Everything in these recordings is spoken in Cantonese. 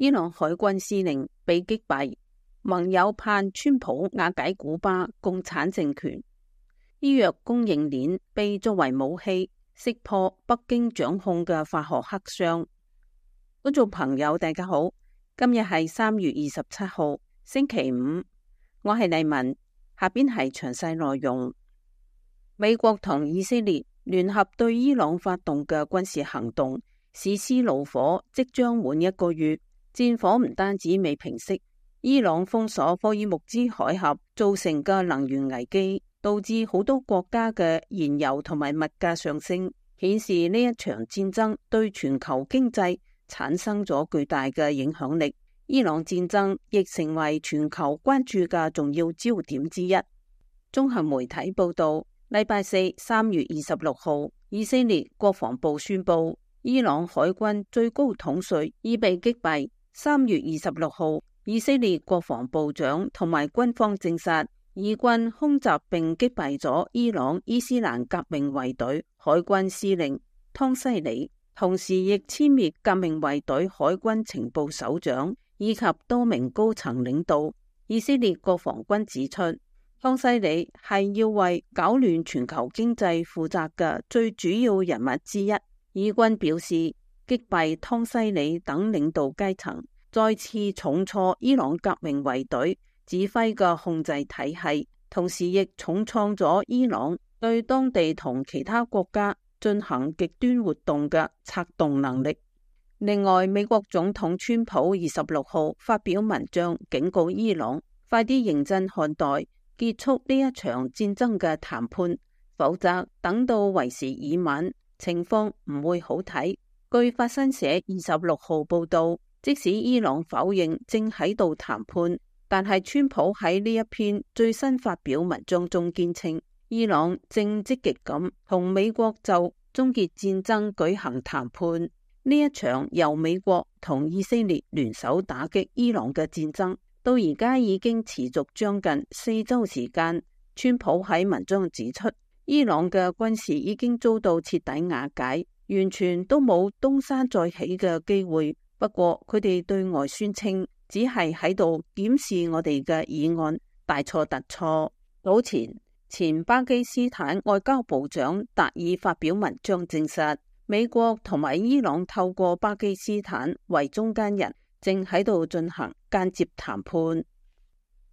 伊朗海軍司令被擊斃，盟友盼川普瓦解古巴共產政權。醫藥供應鏈被作為武器，識破北京掌控嘅化學黑箱。觀眾朋友大家好，今日係3月27號星期五，我係麗文，下邊係詳細內容。美國同以色列聯合對伊朗發動嘅軍事行動，史詩怒火即將滿1個月，戰火唔單止未平息，伊朗封鎖霍爾木茲海峽造成嘅能源危機，導致好多國家嘅燃油同埋物價上升，顯示呢一場戰爭對全球經濟產生咗巨大嘅影響力。伊朗戰爭亦成為全球關注嘅重要焦點之一。綜合媒體報道，禮拜四3月26號，以色列國防部宣布，伊朗海軍最高統帥已被擊斃。3月26號，以色列國防部長同埋軍方證實，以軍空襲並擊斃咗伊朗伊斯蘭革命衛隊海軍司令湯西里，同時亦殲滅革命衛隊海軍情報首長以及多名高層領導。以色列國防軍指出，湯西里係要為搞亂全球經濟負責嘅最主要人物之一。以軍表示，擊斃湯西里等領導階層，再次重挫伊朗革命衛隊指揮嘅控制體系，同時亦重創咗伊朗對當地同其他國家進行極端活動嘅策動能力。另外，美國總統川普26號發表文章警告伊朗，快啲認真看待結束呢一場戰爭嘅談判，否則等到為時已晚，情況唔會好睇。據法新社26號報道，即使伊朗否認正喺度談判，但係川普喺呢一篇最新發表文章中堅稱，伊朗正積極咁同美國就終結戰爭舉行談判。呢一場由美國同以色列聯手打擊伊朗嘅戰爭，到而家已經持續將近4週時間。川普喺文章指出，伊朗嘅軍事已經遭到徹底瓦解，完全都冇東山再起嘅機會。不過佢哋對外宣稱，只係喺度檢視我哋嘅議案，大錯特錯。早前巴基斯坦外交部長達爾發表文章證實，美國同埋伊朗透過巴基斯坦為中間人，正喺度進行間接談判。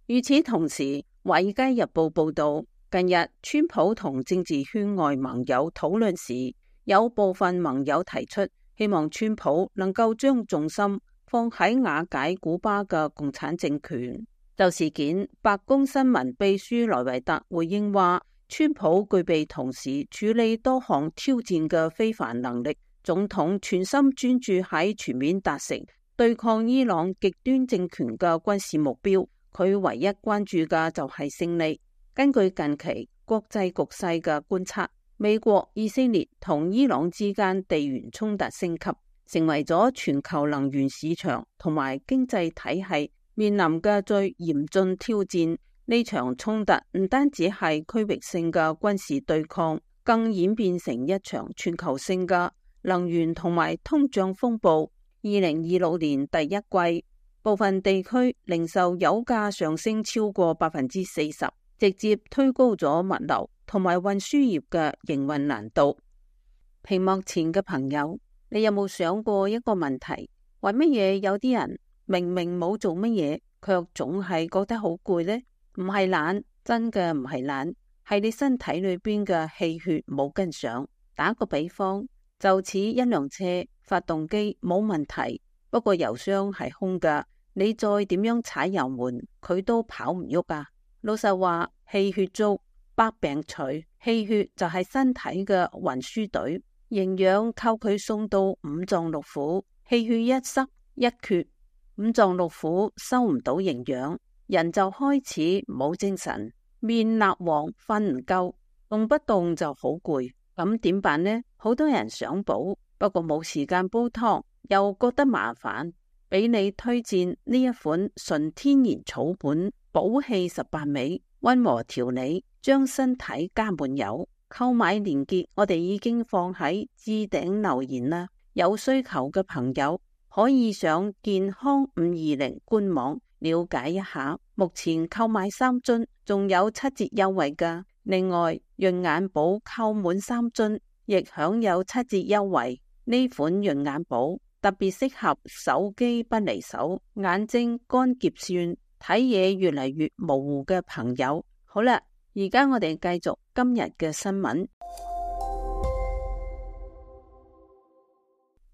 與此同時，《華爾街日報》報道，近日川普同政治圈外盟友討論時，有部分盟友提出希望川普能夠將重心放喺瓦解古巴嘅共產政權。就事件，白宮新聞秘書萊維特回應話，川普具備同時處理多項挑戰嘅非凡能力，總統全心專注喺全面達成對抗伊朗極端政權嘅軍事目標，佢唯一關注嘅就係勝利。根據近期國際局勢嘅觀察，美國、以色列同伊朗之間地緣衝突升級，成為咗全球能源市場同埋經濟體系面臨嘅最嚴峻挑戰。呢場衝突唔單止係區域性嘅軍事對抗，更演變成一場全球性嘅能源同埋通脹風暴。2026年第一季，部分地區零售油價上升超過40%，直接推高咗物流同埋運輸業嘅營運難度。屏幕前嘅朋友，你有冇想過一個問題？為乜嘢有啲人明明冇做乜嘢，卻總係覺得好攰呢？唔係懶，真嘅唔係懶，係你身體裏邊嘅氣血冇跟上。打個比方，就似一輛車發動機冇問題，不過油箱係空噶，你再點樣踩油門，佢都跑唔喐啊。老實話，氣血足，百病除。氣血就係身體嘅運輸隊，營養靠佢送到五臟六腑。氣血一塞一缺，五臟六腑收唔到營養，人就開始冇精神，面蠟黃，瞓唔夠，動不動就好攰。咁點辦呢？好多人想補，不過冇時間煲湯，又覺得麻煩。俾你推薦呢一款純天然草本補氣18味，溫和調理，將身體加滿油。購買鏈接我哋已經放喺置頂留言啦，有需求嘅朋友可以上健康520官網了解一下。目前購買3樽仲有7折優惠㗎。另外，潤眼寶購滿3樽亦享有7折優惠。呢款潤眼寶特別適合手機不離手、眼睛乾澀酸、睇嘢越嚟越模糊嘅朋友。好啦，而家我哋繼續今日嘅新聞。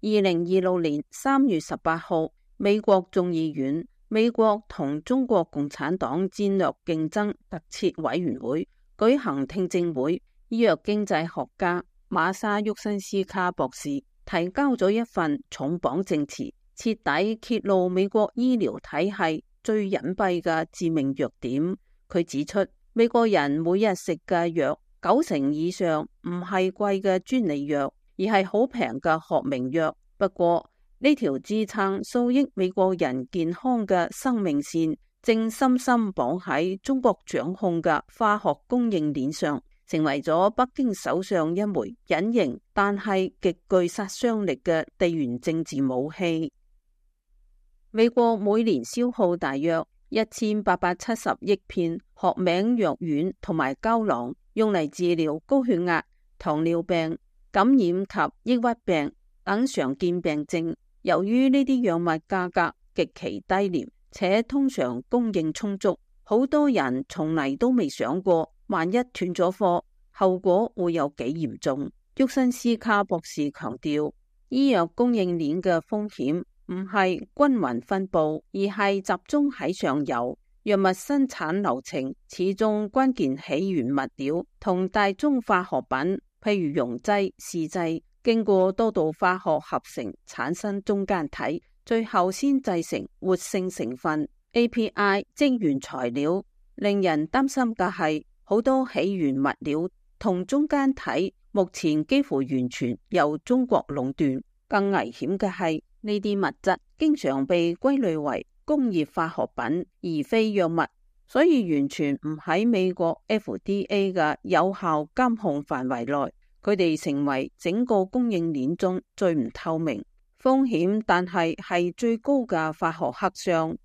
2026年3月18號，美國眾議院美國同中國共產黨戰略競爭特設委員會舉行聽證會。醫藥經濟學家馬沙沃辛斯卡博士提交咗一份重磅證詞，徹底揭露美國醫療體系最隱蔽嘅致命弱點。佢指出，美國人每日食嘅藥90%以上唔係貴嘅專利藥，而係好平嘅學名藥。不過呢條支撐數億美國人健康嘅生命線，正深深綁喺中國掌控嘅化學供應鏈上，成為咗北京手上一枚隱形但係極具殺傷力嘅地緣政治武器。美國每年消耗大約1870億片學名藥丸同埋膠囊，用嚟治療高血壓、糖尿病、感染及抑鬱病等常見病症。由於呢啲藥物價格極其低廉，且通常供應充足，好多人從嚟都未想過，萬一斷咗貨，後果會有幾嚴重。沃辛斯卡博士強調，醫藥供應鏈嘅風險唔係均勻分佈，而係集中喺上游。藥物生產流程始終關鍵起源物料同大宗化學品，譬如溶劑、試劑，經過多道化學合成產生中間體，最後先製成活性成分 API 即原材料。令人擔心嘅係，好多起源物料同中間體目前幾乎完全由中國壟斷。更危險嘅係，呢啲物質經常被歸類為工業化學品而非藥物，所以完全唔喺美國 FDA 嘅有效監控範圍內。佢哋成為整個供應鏈中最唔透明、風險但係最高嘅化學黑箱。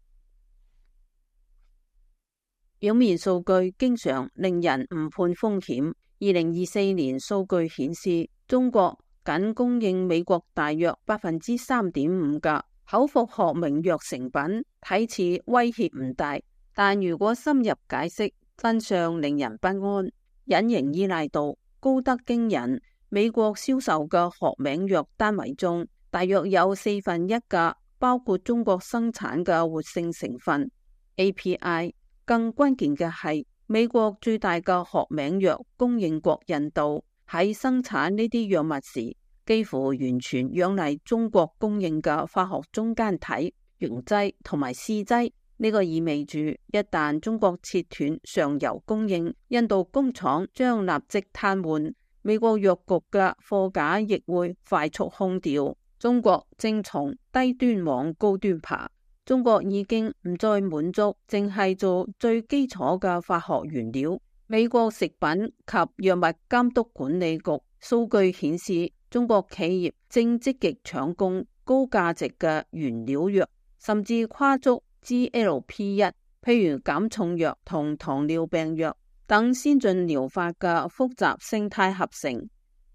表面數據經常令人誤判風險。2024年數據顯示，中國僅供應美國大約3.5%嘅口服學名藥成品，睇似威脅唔大，但如果深入解釋，真相令人不安。隱形依賴度高得驚人，美國銷售嘅學名藥單位中，大約有1/4嘅包括中國生產嘅活性成分 API。更關鍵嘅係，美國最大嘅學名藥供應國印度喺生產呢啲藥物時，幾乎完全仰賴中國供應嘅化學中間體、溶劑同埋試劑。呢個意味住，一旦中國切斷上游供應，印度工廠將立即癱瘓，美國藥局嘅貨架亦會快速空掉。中國正從低端往高端爬。中國已經唔再滿足淨係做最基礎嘅化學原料。美國食品及藥物監督管理局數據顯示，中國企業正積極搶攻高價值嘅原料藥，甚至跨足 GLP-1， 譬如減重藥同糖尿病藥等先進療法嘅複雜生態合成。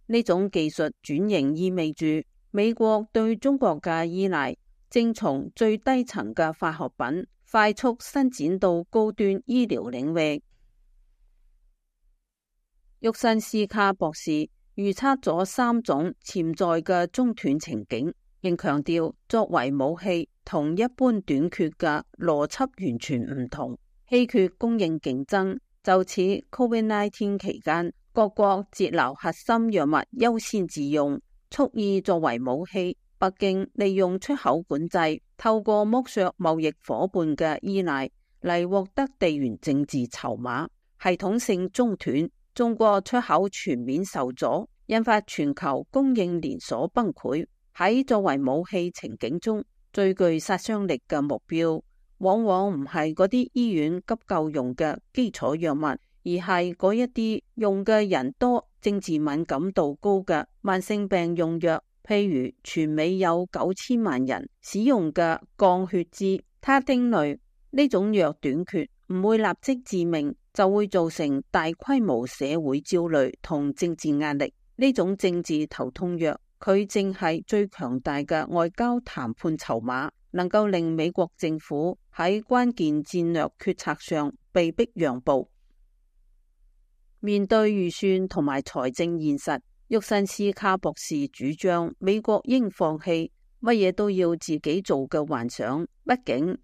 呢種技術轉型意味住美國對中國嘅依賴正從最低層嘅化學品快速伸展到高端醫療領域。沃辛斯卡博士預測咗3種潛在嘅中斷情景，並強調作為武器同一般短缺嘅邏輯完全唔同。稀缺供應競爭就似 COVID-19 期間各國節流核心藥物優先自用，蓄意作為武器。北京利用出口管制，透過剝削貿易夥伴嘅依賴嚟獲得地緣政治籌碼。系統性中斷，中國出口全面受阻，引發全球供應連鎖崩潰。喺作為武器情景中，最具殺傷力嘅目標往往唔係嗰啲醫院急救用嘅基礎藥物，而係嗰一啲用嘅人多、政治敏感度高嘅慢性病用藥，譬如全美有9000萬人使用嘅降血脂他汀類，呢種藥短缺唔會立即致命，就會造成大規模社會焦慮同政治壓力。呢種政治頭痛藥，佢正係最強大嘅外交談判籌碼，能夠令美國政府喺關鍵戰略決策上被迫讓步。面對預算同埋財政現實，沃辛斯卡博士主張美國應放棄乜嘢都要自己做嘅幻想。畢竟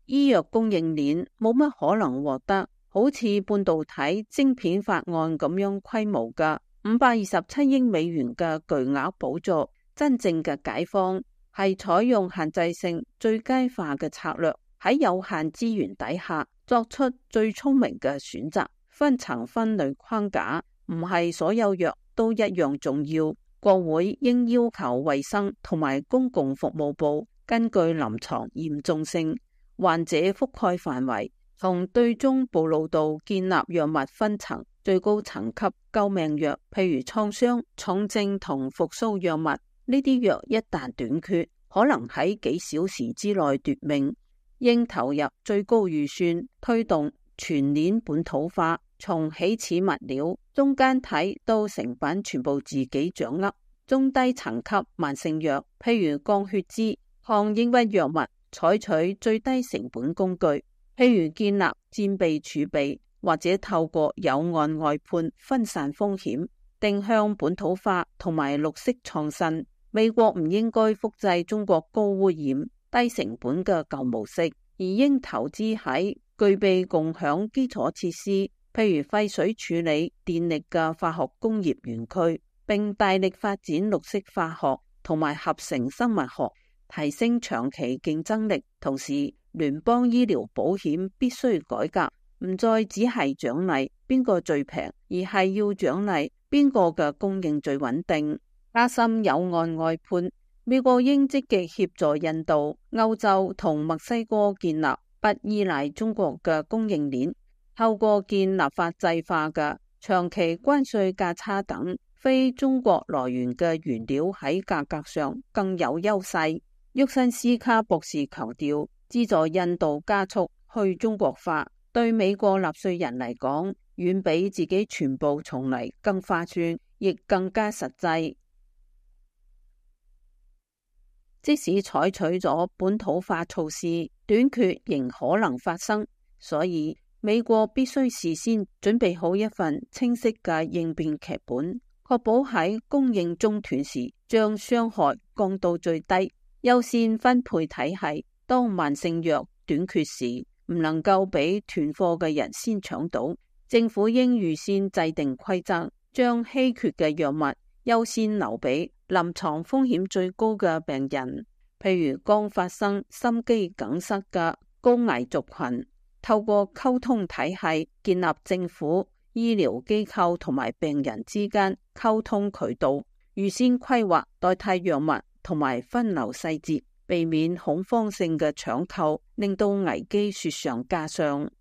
醫藥供應鏈冇乜可能獲得好似半導體晶片法案咁樣規模嘅527億美元嘅巨額補助。真正嘅解放係採用限制性最佳化嘅策略，喺有限資源底下作出最聰明嘅選擇。分層分類框架唔係所有藥都一樣重要。國會應要求衛生同埋公共服務部根據臨床嚴重性、患者覆蓋範圍同對中暴露度建立藥物分層。最高層級救命藥，譬如創傷、重症同復甦藥物，呢啲藥一旦短缺，可能喺幾小時之內奪命。應投入最高預算推動全鏈本土化，從起始物料、中間體到成品全部自己掌握。中低層級慢性藥，譬如降血脂、抗抑鬱藥物，採取最低成本工具，譬如建立戰備儲備，或者透過有案外判分散風險。定向本土化同埋綠色創新。美國唔應該複製中國高污染、低成本嘅舊模式，而應投資喺具備共享基礎設施，譬如廢水處理、電力嘅化學工業園區，並大力發展綠色化學同埋合成生物學，提升長期競爭力。同時，聯邦醫療保險必須改革，唔再只係獎勵邊個最平，而係要獎勵邊個嘅供應最穩定。加深有案外判，美國應積極協助印度、歐洲同墨西哥建立不依賴中國嘅供應鏈，透過建立法制化嘅長期關稅價差等非中國來源嘅原料喺價格上更有優勢。沃辛斯卡博士強調，資助印度加速去中國化，對美國納稅人嚟講，遠比自己全部重嚟更划算，亦更加實際。即使採取咗本土化措施，短缺仍可能發生，所以美國必須事先準備好一份清晰嘅應變劇本，確保喺供應中斷時將傷害降到最低。優先分配體系，當慢性藥短缺時，唔能夠俾囤貨嘅人先搶到。政府應預先制定規則，將稀缺嘅藥物優先留俾臨床風險最高嘅病人，譬如剛發生心肌梗塞嘅高危族群。透過溝通體系，建立政府、醫療機構同埋病人之間溝通渠道，預先規劃代替藥物同埋分流細節，避免恐慌性嘅搶購，令到危機雪上加霜。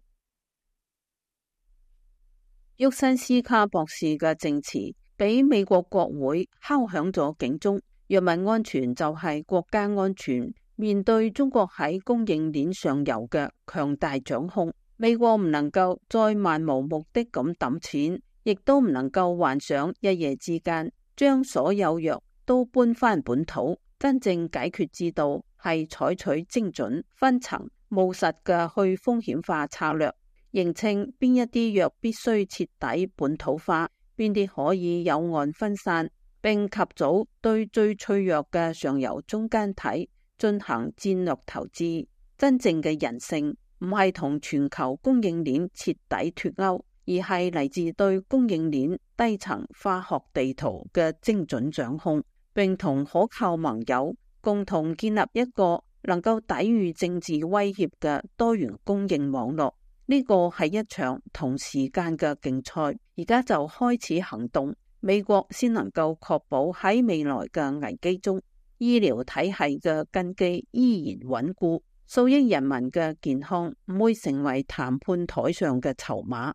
沃辛斯卡博士嘅證詞俾美國國會敲響咗警鐘，藥物安全就係國家安全。面對中國喺供應鏈上游嘅強大掌控，美國唔能夠再漫無目的咁抌錢，亦都唔能夠幻想一夜之間將所有藥都搬返本土。真正解決之道係採取精準、分層、務實嘅去風險化策略，認清邊一啲藥必須徹底本土化，邊啲可以有案分散，並及早對最脆弱嘅上游中間體進行戰略投資。真正嘅人性唔係同全球供應鏈徹底脫鈎，而係嚟自對供應鏈低層化學地圖嘅精準掌控，並同可靠盟友共同建立一個能夠抵禦政治威脅嘅多元供應網絡。呢個係一場同時間嘅競賽，而家就開始行動，美國先能夠確保喺未來嘅危機中，醫療體系嘅根基依然穩固，數億人民嘅健康唔會成為談判台上嘅籌碼。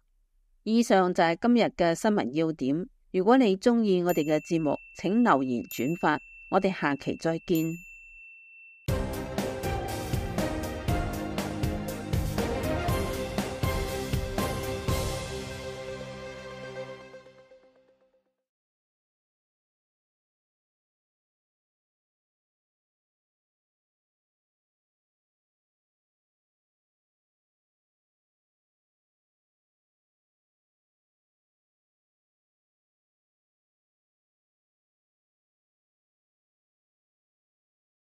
以上就係今日嘅新聞要點。如果你中意我哋嘅節目，請留言轉發，我哋下期再見。